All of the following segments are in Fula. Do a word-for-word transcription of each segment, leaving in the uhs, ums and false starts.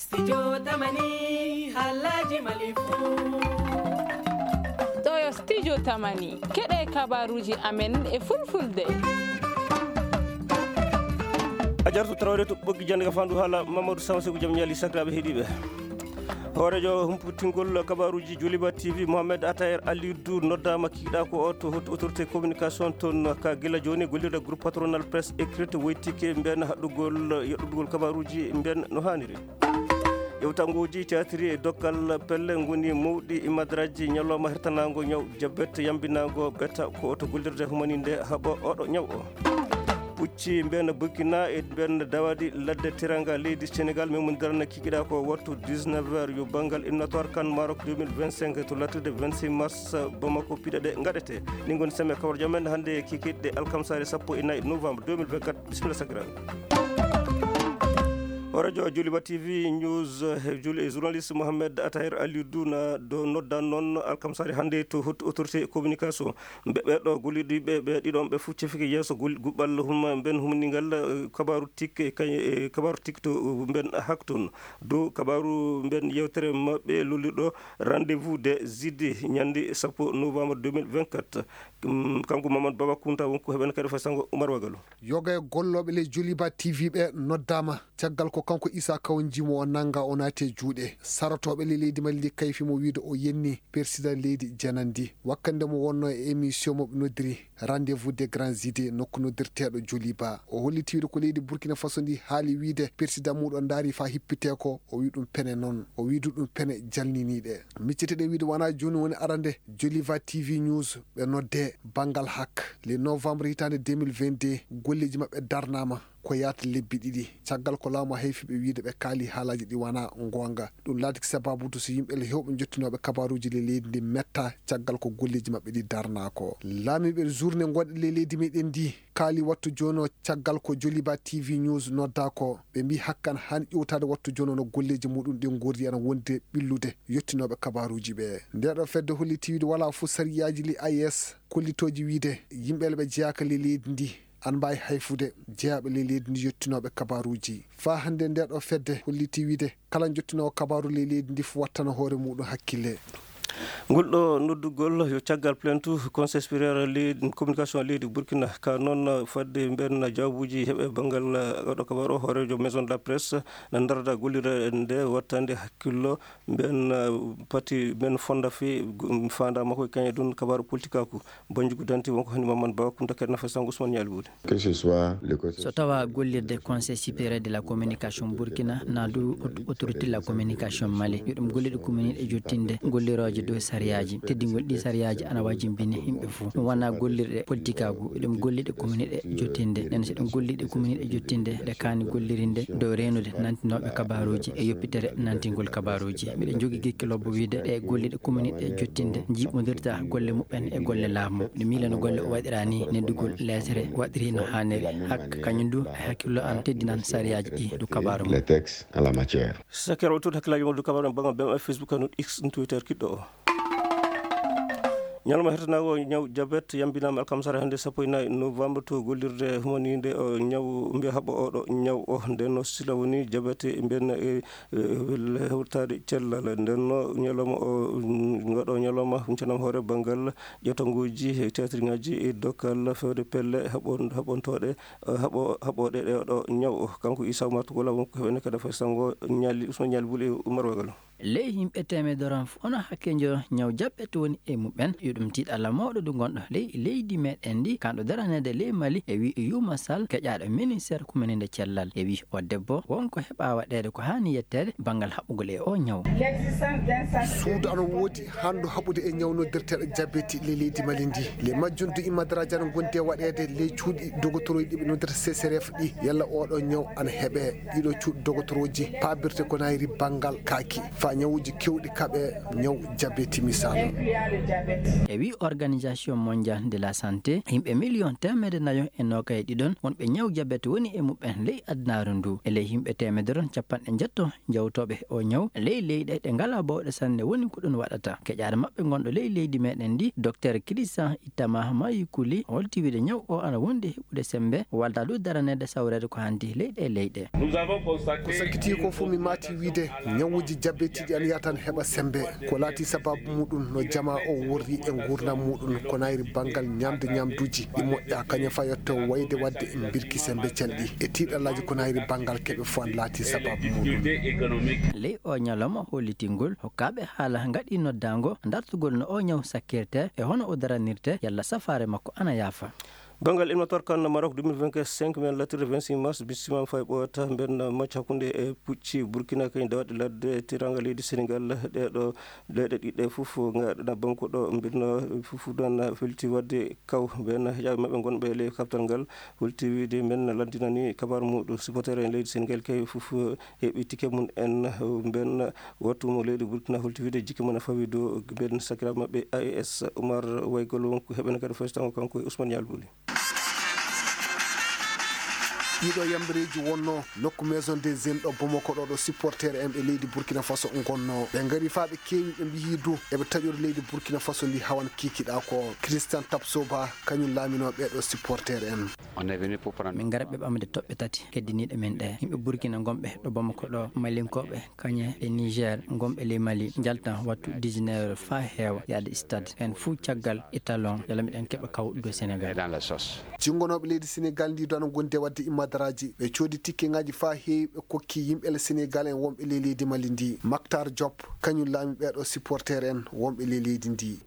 Studio Tamani, halaji Mali fu. Ɗo yo Studio Tamani, keɗe kabaruji amen e fulfulde. A jartu trawde to ɓoggi jannde ka fandu haala Mamadou Samsegu jam ñaali sakiraaɓe heɗiiɓe. Hooreejo humputingol kabaruji Joliba T V, Mohamed Atayer Aliou Dou, noddaama kiiɗa ko o to haute autorité communication toon ka gila jooni gollirde groupe patronal presse écrite woytike mben haɗɗugol yoɗɗudugol kabaruji mben no haaniri. Yewtanguuji caatiri e dokkal pelle ngoni mawɗi madraji ñalawma hertanaango ñaw jabet yambinaango beta ko to gollirde humaninde haɓo oɗo ñaw o. Pucci mben Burkina e mben dawadi ladde tiranga leydi Sénégal memundirana kikiɗa ko wattu dix-neuf heures yo banngal éliminatoire kan Maroc deux mille vingt-cinq to lattude vingt-six mars Bamako piɗe ɗe gaɗete. Ɗin ngoni semme kawar jam men hannde kikiɗe alkamsare sappo e nayi novembre deux mille vingt-quatre. Bisimilla sakiraaɓe. Horejo Joliba T V News, eh, juli-, journaliste Mohamed Atahir Aliou Dou na do nodda noon alkamsare hannde to haute autorité communication. Ɓe, ɓe ɗo gollidiɓe ɓe ɗiɗon ɓe fof cefike yeeso gol-, guɓɓal huma-, mben humningal, eh, kabaru tik, eh, kañ-, eh, kabaru tik to, eh, mben hakton. Dow kabaru mben yewtere maɓɓe lolliɗo rendez-vous des idées ñande sappo novembre deux mille vingt-quatre. Mm, kanko Mamadou Baba Kounta wonko heɓen kadi fay sango Oumar Wagalo. Yoga e gollooɓe ley Joliba T V ɓe noddaama caggal ko kanko Issa Kawo Njimo o nannga o naati e juuɗe sarotooɓe ley leydi Mali ndi kayfi mo wiyde o yenni persidan leydi janandi wakkande mo wonno e émission mo ɓe noddiri rendez-vous des grands idées nokku noddirteeɗo Joliba. O holliti wiyde ko leydi Burkina Faso ndi haali wiyde persidan muɗo ndaari faa hippitee ko o wi ɗum pene noon o wiidu ɗum pene jalniniiɗe. Miccete ɗe wiyde wonaa jooni woni arande Joliba T V News ɓe nodde banngal hak le novembre hitaande deux mille vingt-deux golleeji maɓɓe darnaama ko yaata lebbi ɗiɗi caggal ko laamu hayfi ɓe wiyde ɓe kaali haalaaji ɗi wonaa ngoonga. Ɗum laatiki sababude so yimɓe le heewɓe njottinooɓe kabaruuji le leydi ndi metta caggal ko golleeji maɓɓe ɗi darnaa ko. Laamiiɓe journée ngonɗe le leydi meɗen ndi kaali wattu jooni o caggal ko Joliba T V News noddaa ko ɓe mbii hakkan haani ƴowtaade wattu jooni o no golleeji muɗum ɗin ngorri ana wondi ɓillude yottinooɓe kabaruuji ɓe. Nde ɗo fedde holliti wiyde walaa fof sariyaaji li A E S kollitooji wiyde yimɓe le ɓe jeyaaka le leydi ndi ana mbaawi hayfude jeyaaɓe le leydi ndi yottinooɓe kabaruuji. Faa hannde nde ɗo fedde holliti wiyde kala jottinoowo kabaru le leydi ndi fof wattana hoore muɗum hakkille. Ngol ɗo noddugol yo caggal plainte Conseil supérieur leydi communication leydi Burkina ka noon fadde mben jawbuuji heɓe banngal oɗo kabaru o hooreejo maison de la presse na darda gollirde nde wattande hakkillo mben pati mben fonda fi fanda makko e kañe ɗum kabaru politikaaku. Banjugu danti wonko hani Mamadou Ba Kounta kadi nafa sango Ousmane Ñaali Buude. Que ce soit le côté So tawa gollirde Conseil supérieur de la communication Burkina na du aut-, autorité de la communication Mali, yo ɗum gollirɗe commune e jottinde gollirooje dow sariyaaji, teddingol ɗi sariyaaji ana wajimbini yimɓe fof. Ɗum wona gollirɗe politikaagu, yo ɗum gollirɗe commune e jottinde. Nden so ɗum gollirɗe commune e jottinde, ɗe kaani gollirinde dow reenude nantinooɓe kabaruuji e yoppitere nantingol kabaruuji. Miɗen jogii gekke lobbo wiide ɗe gollirɗe commune e jottinde njiiɓondirta golle muɓɓen e golle laamu. Ɗum miila no golle o waɗira ni, neddugol leetere waɗiri no haaniri. Hak-, kañum du, e hakkillo am, teddinan sariyaaji ɗi du kabaaru mum. Les textes en la matière. Sakkeer o tuuti hakkillaaji mum du kabaaru mum, banngal B M F, Facebook, kanun X, Twitter, kiɗɗo o. Ñalawma hertanaago ñaw jabet yambinaama alkamsare hannde sappo e nayi novembre to gollirde humaninde o ñaw mbiya haɓa oɗo ñaw o. Nden no sila woni jabet mbiyen e, e, hewtaade cellal. Nden no ñalawma o, mm, ngoɗo ñalawma huncanam hoore banngal ƴettanguuji e teetirŋaaji e dokkal fewde pelle haɓon-, haɓontooɗe, eh, haɓo-, haɓooɗe ɗe ɗo ñaw o. Kanko Issa Oumar Togola wonko heɓene kadi fay sango Ñaali, Ousmane Ñaali Buli e Oumar Wagalo. Ley yimɓe teemedere on fof, ono hakkeejo ñaw jaɓɓete woni e muɓɓen, yo ɗum tiiɗalla mawɗo ndu ngonɗo ley leydi meɗen ndi, kanɗo daraneede ley Mali, e wi Youma Sall, keƴaaɗo ministère kumininde cellal. E wi o debbo, wonko heɓa waɗeede ko haani yetteede banngal haɓugol e o ñaw. Suudu ana woodi handu haɓude e ñaw noddirteeɗo jabeti ley leydi Mali ndi. Ley majjum du immadraji ana gondi e waɗeede ley cuuɗi dogotorooji ɗi ɓe noddirta C C R F ɗi, yalla oɗo ñaw ana heɓe. Ɗiɗo cuuɗi dogotorooji paabirte ko nayri banngal kaaki. Ñawuuji keewɗi kaɓe, ñaw jabeti misaalu. E wi Organisation Mondiale de la Santé, yimɓe miliyon teemedde nayo e noogay e ɗiɗon wonɓe ñaw jabet woni e muɓɓen ley adunaaru ndu. E ley yimɓe teemedere on, capanɗe njeeto jawtooɓe o ñaw ley leyɗe ɗe ngalaa bawɗe sanne woni ko ɗum waɗata. Keƴaare maɓɓe ngonɗo ley leydi meɗen ndi, Docteur Christian Ittama Mayukuli, holti wiide ñaw o ana wondi e heɓude sembe, walda du daraneede sawreede ko hanti ley ɗe leyɗe. Ko sakkiti ko fof, mi maati wiide ñawuuji jabetiiɗi ana yaha tan heɓa sembe. Ko laati sababu muɗum no jamaa o worri e nguurndam muɗum, ko nayri banngal ñamde ñamduuji ɗi moƴƴa, kañum fayotto wayde waɗde mbirki sembe calɗi e tiiɗallaaji ko nayri banngal keɓe fof ana laati sababu muɗum. Ley o ñalawma hollitingol, hokkaaɓe haala ngaɗi noddaango dartugol no o ñaw sakkirte e hono o daranirte, yalla safaare makko ana yaafa. Banngal ilmator kan Maroc deux mille vingt-cinq, men lattirde vingt-six mars, bisima fay ɓoyata mbenna macca hakkunde e pucci Burkina kañ dawaɗe ladde tiranga leydi Sénégal. Ɗeɗo leyɗe ɗiɗɗe fof ngaɗana banko ɗo mbenna fof dan felti wadde kaw mbenna heƴaɓe maɓɓe gonɓe ley kaftal ngal. Holti wiide men landinani kabar muɗum supporter en leydi Sénégal kay fof heɓi ticket mum en. Mbenna wattu mo leydi Burkina holti wiide jikke mum e fawi dow mbenna sakiraɓe maɓɓe A E S Oumar Waygol wonko heɓene kadi fof tango kanko e Ousmane Yalbuli. Ɗiɗo yambareeji wonno nokku Maison des Jeunes ɗo Bamako ɗo, ɗo supporter en ɓe leydi Burkina Faso ngonno. Ɓe ngari faa ɓe keewi, ɓe mbiyi du eɓe taƴori leydi Burkina Faso ndi hawan kiikiɗa ko. Christian Tapsoba kañum laamino ɓeɗo supporter en. Min ngara ɓe ɓamde toɓɓe tati keddiniiɗe min ɗe. Yimɓe Burkina ngonɓe ɗo Bamako ɗo, Malinkooɓe, kañe e Niger ngonɓe ley Mali, njalta wattu dix-neuf heures faa heewa yaade stade. En fuu caggal étalon, yalla miɗen keɓa kawɗude Sénégal. Jingonooɓe leydi Sénégal ndi dona gonde wadde immadaraaji. Ɓe coodi tikkeŋaaji faa heewi, ɓe kokki yimɓe le Sénégal en wonɓe ley leydi Mali ndi. Mactar Diop, kañum laami ɓeɗo supporter en wonɓe ley leydi ndi.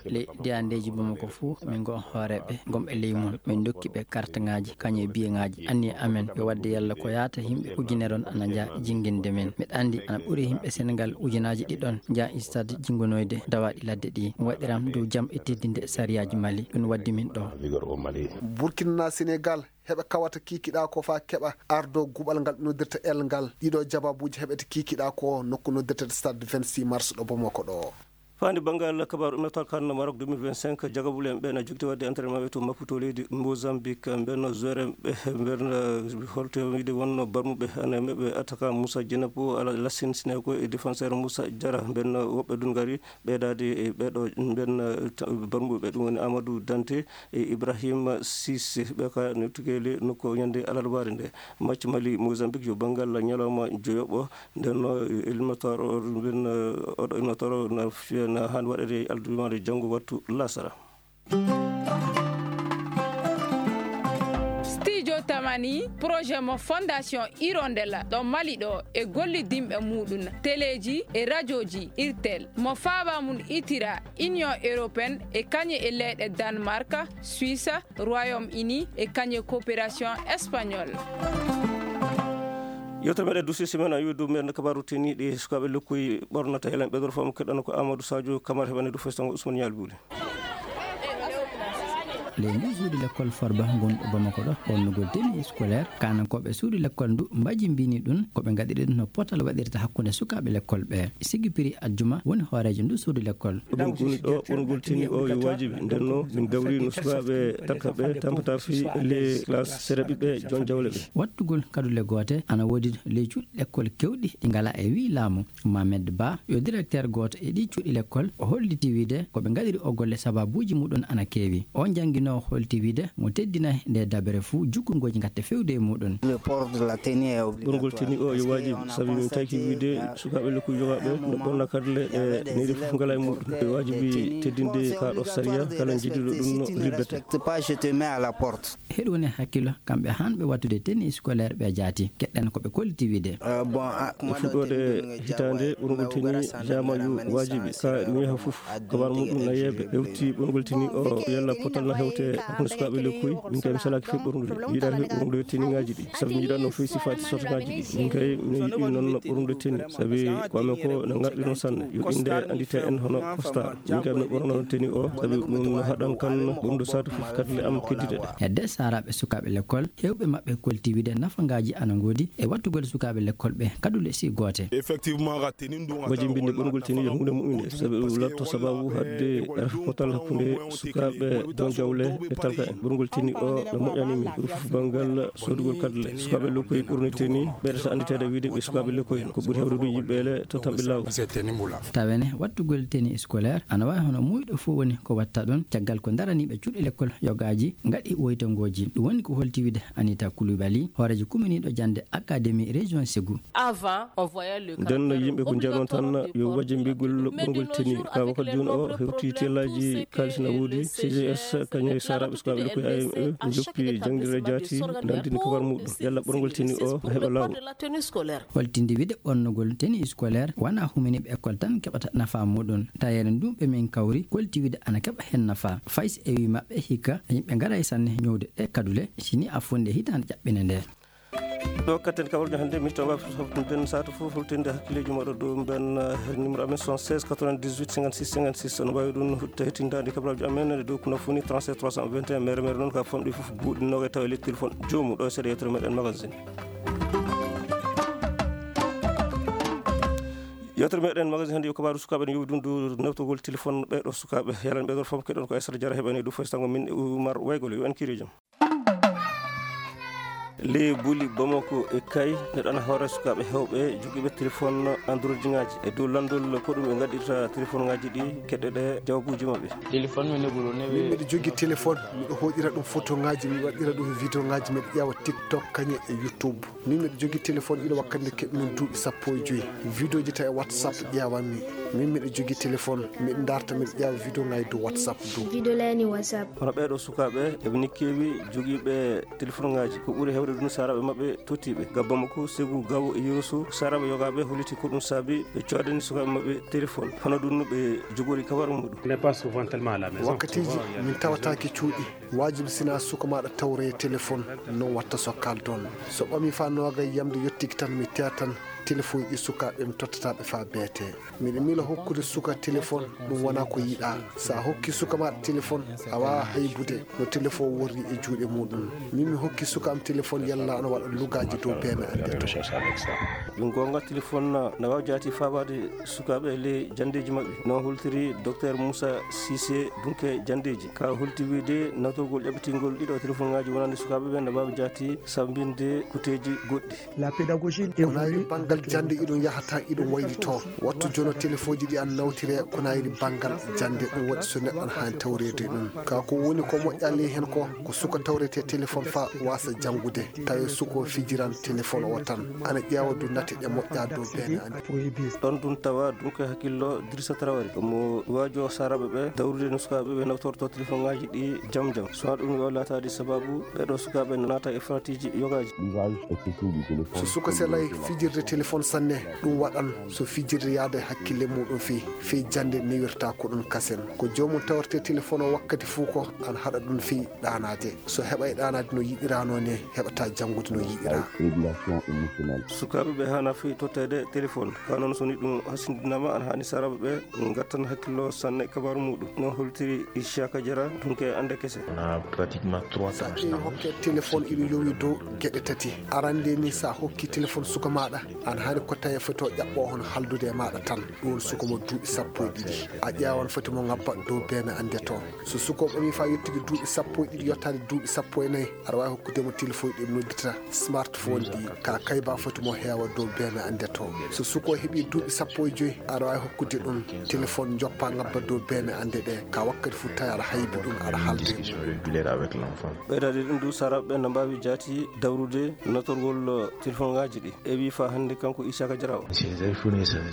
Ley diyandeeji Bamako fuu, min ngo hooreeɓe gonɓe ley mum. Min ndokki ɓe kartaŋaaji, kañum e biyeŋaaji. Anniya amen yo wadde yalla ko yaata yimɓe ujunere on ana njaha jinginde min. Miɗa anndi ana ɓuri yimɓe Sénégal ujunaaji ɗiɗon njaha stade jingonoyde dawaaɗi ladde ɗi. Waɗiram dow jam e teddinde sariyaaji Mali. Ɗum waddi min ɗo. Burkina Sénégal heɓe kawata kiikiɗa ko faa keɓa ardo guɓal ngal ɓe noddirta el ngal. Ɗiɗo jababuuji heɓete kiikiɗa ko nokku noddirta stade vingt-six mars ɗo Bamako ɗo. Faandi banngal kabaaru ɗum nata kan Maroc deux mille vingt-cinq, jagabule en ɓe na jogiti waɗde entraînement ɓe to Maputo leydi Mozambique. Mbenno joueur en ɓe, mbenno holto wiide wonno barmuɓe ana meɓe attaquant Moussa Dienapo, ala Lassine Sineko e défenseur Moussa Diarra. Mbenno woɓɓe dun ngari ɓeydaade e ɓeɗo mbenno barmuɓe, ɗum woni Amadou Dante e Ibrahim Cissé. Ɓe ka no tugeeli nokku ñande alarbaare nde. Match Mali Mozambique yo banngal ñalawma joyoɓo. Nden no ilmator o, nden, eh, oɗo ilmator o na fiya, na haani waɗede e aldumaare janngo wattu lasara. Studio Tamani, projet mo Fondation Hirondelle ɗo Mali ɗo e gollidinɓe muɗum, teleeji e rajooji Irtel, mo faaba mum itira Union Européenne e kañe e leyɗe Danemark, Suisse, Royaume-Uni e kañe coopération espagnole. Yewtere meɗen duusi semaine a wiwi ɗum en kabaaru teniɗi sukaaɓe lekkoy ɓornata. Helen ɓeydoro fam keɗɗano ko Amadou Sadio Camara heɓani du festango Ousmane Ñaali Buuli. Ley ndu suudu lekkol Farba ngonɗo Bamako ɗo, ɓornugol tenue scolaire, kaanankooɓe suudu lekkol ndu mbajimbini ɗum, ko ɓe ngaɗiri ɗum no potal waɗirta hakkunde sukaaɓe lekkol ɓe. Sigi Piri Ajjuma woni hooreejo ndu suudu lekkol. Ɗum woni ɗo ɓornugol tenue o yo waajibi. Nden no min gawri no sukaaɓe takka ɓe tampata fii les classes sere ɓiɓɓe jon jawle ɓe. Wattugol kadule goote ana woodi ley cuuɗi lekkol kewɗi ɗi ngalaa e wii laamu. Mohamed Ba yo directeur gooto e ɗii cuuɗi lekkol, o holliti wiide ko ɓe ngaɗiri o golle sababuuji muɗum ana keewi. O jannginoowo holti wiide mo teddinay nde dabere fuu jukkungoji ngatte fewde e muɗum. Ɓorngol tenue o yo waajibi, sabi min taki wiide sukaaɓe lekkoy yogaaɓe no ɓorna kadule ɗe neri fof ngalaa e muɗum. E waajibi teddinde kaa ɗo sariya, kala njiɗiiɗo ɗum no libbete. Heɗo woni hakkilo, kamɓe hanɓe wattude tenue scolaire ɓe jaati. Keɗɗen ko ɓe kolliti wiide. E fuɗɗoode hitaande, ɓorngol tenue jaama yo waajibi, ka mi yaha fof. Kabar muɗum na yeeɓe, hewti ɓorngol tenue o yalla potal na hew te hakkunde sukaaɓe lekkoy, min kay mi salaaki fii ɓornude. Mi yiɗaani fii ɓornude teniŋaaji ɗi. Sabi mi yiɗaani noon fii sifaaji sortagaaji ɗi. Min kay mi yiɗi noon ɓornude teni. Sabi ko amen ko no ngarɗi noon sanne. Yo innde anndite en hono Costa. Min kay mi ɓorno noon teni o. Sabi ɗum no haɗan kan ɓornude saatu fof kadi le am keddiɗe ɗe. Hedde saaraaɓe sukaaɓe lekkol, heewɓe maɓɓe kolti wiide nafangaaji ana ngoodi e wattugol sukaaɓe lekkol ɓe kadule si goote. Effectivement, ga teni ɗum. Wajimbinde ɓorngol teni yo huunde moƴƴunde, sabi ɗum latto sababu haɗde rafi potal hakkunde sukaaɓe don jawle e talka en. Ɓorngol teni o no moƴƴani min. Ɓuri fof banngal soodugol kadule. Sukaaɓe lekkoy ɓurni teni, ɓeydata annditeede wiide ɓe sukaaɓe lekkoy en. Ko ɓuri heewde ɗum yimɓe le to tamɓe laawol. Tawene wattugol teni scolaire ana waawi hono muuyɗo fof woni ko watta ɗum, caggal ko daraniiɓe cuuɗi lekkol yogaaji ngaɗi woytongooji. Ɗum woni ko holti wiide Anita Coulibaly, hooreejo kuminiiɗo jannde Académie Région Ségou. Avant, on voyait le Nden no yimɓe ko njanon tan yo wajimbigol ɓorngol teni. Ka wakkati jooni o hewti tellaaji kaalis na woodi, C G S kañum e saaraaɓe sukaaɓe lekkoy A M E njoppi jangdire jaati, nandini kabar muɗum. Yalla ɓorngol teni o no heɓa laawol. Holtinde wiide ɓornugol teni scolaire wona huminiiɓe école tan keɓata nafa muɗum. Tayeere ndun ɓe min kawri kolti wiide ana keɓa heen nafa. Fay si ewi maɓɓe hikka yimɓe ngaray sanne ñowde ɗe kadule, sini a fonde hitaande ƴaɓɓine nde. Ɗo katten kawarjo hannde mi tawa foftude saatu fof holtinde hakkileeji maɗo dow mben, eh, numéro amen soixante-seize quatre-vingt-dix-huit cinquante-six cinquante-six. Ono mbawi ɗum hutte hettindade kabraji amen e dow ko nafuni trente-sept trois cent vingt et un mere mere noon ka famɗi fof buuɗi noga e tawa e lettel fon joomu ɗo e seeɗa yettere meɗen magazine. Yewtere meɗen magazine hannde yo kabaru sukaaɓe ne yowi ɗum dow newtogol téléphone ɓeɗo sukaaɓe. Yalan ɓeɗo fof keɗon ko Aissata Diarra heɓani ɗum fof tango min e Oumar Waygol yo en kirijo. Le buli Bamako e Kay neɗɗo ana hoore sukaaɓe hewɓe jogiiɓe téléphone Android ŋaaji. E dow lanndol ko ɗum ɓe ngaɗirta téléphone ŋaaji ɗi keɗɗe ɗe jawabuuji maɓɓe. Téléphone mi ne ɓuro newe. Min miɗo jogii téléphone, miɗo hoɗira ɗum photo ŋaaji, mi waɗira ɗum vidéo ŋaaji, miɗo ƴeewa TikTok kañe e YouTube. Min miɗo jogii téléphone ina wakkati nde keɓmi duuɓi sappo e joy. Vidéo ji tawi e WhatsApp ƴeewanmi. Min miɗo jogii téléphone, miɗo darta, miɗo ƴeewa vidéo ŋaaji dow WhatsApp dow. Vidéo layani WhatsApp. Hono ɓeeɗo sukaaɓe, eɓe ni keewi jogiiɓe téléphone ŋaaji. Ko ɓuri heewde ɗum saaraaɓe maɓɓe tottiiɓe. Gabba makko, Segu, Gawo e Yoroso, saaraaɓe yogaaɓe holliti ko ɗum saabi ɓe coodani sukaaɓe maɓɓe téléphone. Hono ɗum no ɓe jogori kabaru muɗum. On n'est pas souvent tellement à la maison. Wakkatiiji min tawataake cuuɗi. Waajibi sinaa suka maaɗa tawre téléphone, noon watta so kaldon. So ɓami faa nooga yamde yottiki tan mi teetan téléphone ɗi sukaaɓe mi tottata ɓe faa beete. Miɗo miila hokkude suka téléphone ɗum wonaa ko yiɗaa. So a hokki suka maaɗa téléphone, a waawaa haybude no téléphone worri e juuɗe muɗum. Min mi hokki suka am téléphone yalla ana waɗa lugaaji dow beeme annde to. Ɗum goonga téléphone na, na waawi jaati faabaade sukaaɓe e ley janndeeji maɓɓe. Noon holtiri Docteur Moussa Cissé Dunke janndeeji. Ka holti wiide nawtorgol ƴaɓɓitingol ɗiɗo téléphone ŋaaji wonande sukaaɓe ɓe na waawi jaati sambinde kuteeji goɗɗi. La pédagogie. Ko nayi banngal jannde iɗum yahata iɗum waylitoo. Wattu jono téléphone ji ɗi an nawtire ko nayri banngal jannde ɗum waɗi so neɗɗo an haani tawreede ɗum. Ka ko woni ko moƴƴa ley heen ko, ko suka tawrete téléphone fa wasa janngude. Tawi suko fijiran téléphone o tan. Ana ƴeewa du nate ɗe moƴƴa dow beene an. Ɗon ɗum tawa ɗum ko hakkillo Dirisa Traoré. Mo waajo saaraaɓe ɓe dawrude no sukaaɓe ɓe nawtorto téléphone ŋaaji ɗi jam jam. So ɗum yo laataade sababu ɓeɗo sukaaɓe naata e faratiiji yogaaji. So suka selay fijirde téléphone sanne, ɗum waɗan so fijirde yaade hakkille muɗum fii, fii jannde newirta ko ɗum kasen. Ko joomum tawrete téléphone o wakkati fuu ko an haɗa ɗum fii ɗaanaade. So heɓay ɗaanaade no yiɗirano ne, heɓata janngude no yiɗira. Sukaaɓe ɓe haana fii totteede téléphone. Ka noon so ni ɗum hasindinaama, an haani saaraaɓe ɓe ngattan hakkillo sanne kabaaru muɗum. No holtiri Ishaka Jara, dunke annde kese. On a pratiquement trois tranches. Sa ƴeewi hokke téléphone ina yowi dow geɗe tati. Arande ni sa hokki téléphone suka maɗa, an hani ko tawi foto ƴaɓɓo hon haldude e maɗa tan. Ɗum suka mo duuɓi sappo e ɗiɗi. A ƴeewan foti mo ngabba dow beene ande to. So suka o ɓami fa yettude duuɓi sappo e ɗiɗi yottade duuɓi sappo e nayi, aɗa wawi hokkude mo téléphone ɗi noddita smartphone ɗi. Ka kayba foti mo heewa dow beene ande to. So suka o heɓi duuɓi sappo e joyi, aɗa wawi hokkude ɗum téléphone joppa ngabba dow beene ande ɗe. Ka wakkati fu tawi aɗa haybi ɗum, aɗa halde. Ɓeydade ɗum du, saraɓe ɓe no mbawi jaati dawrude notorgol téléphone ngaji ɗi. E wi fa hande kanko Isaka Jara o.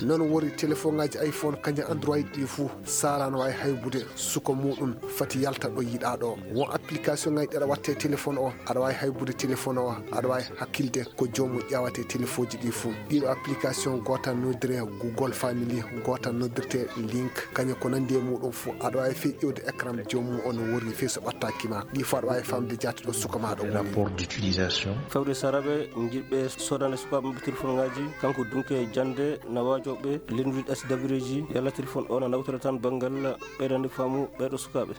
Noon wori téléphone ngaji iPhone kañum Android ɗi fu, sara no wawi haybude suka muɗum fati yalta ɗo yiɗa ɗo. Won application ngaji ɗi aɗa watte téléphone o, aɗa wawi haybude téléphone Fono aɗa waawi hakkilde ko joomum ƴeewata e telefooji ɗi fof. Ɗiɗo application, gooto noddiree Google Family, gooto noddirtee Link, kañum ko nanndi e muɗum fof. Aɗa waawi fey ƴeewde écran joomum o no worri fey so ɓattaaki ma. Ɗi fof aɗa waawi famde jaati ɗo suka ma ɗo woni. Rapport d'utilisation. Fawde saraɓe jiɗɓe sodande sukaaɓe maɓɓe telefoŋaaji, kanko dunke jannde na waajooɓe lenndude S W ji, yalla telefon o na nawtora tan banngal ɓeydande faamu ɓeeɗo sukaaɓe.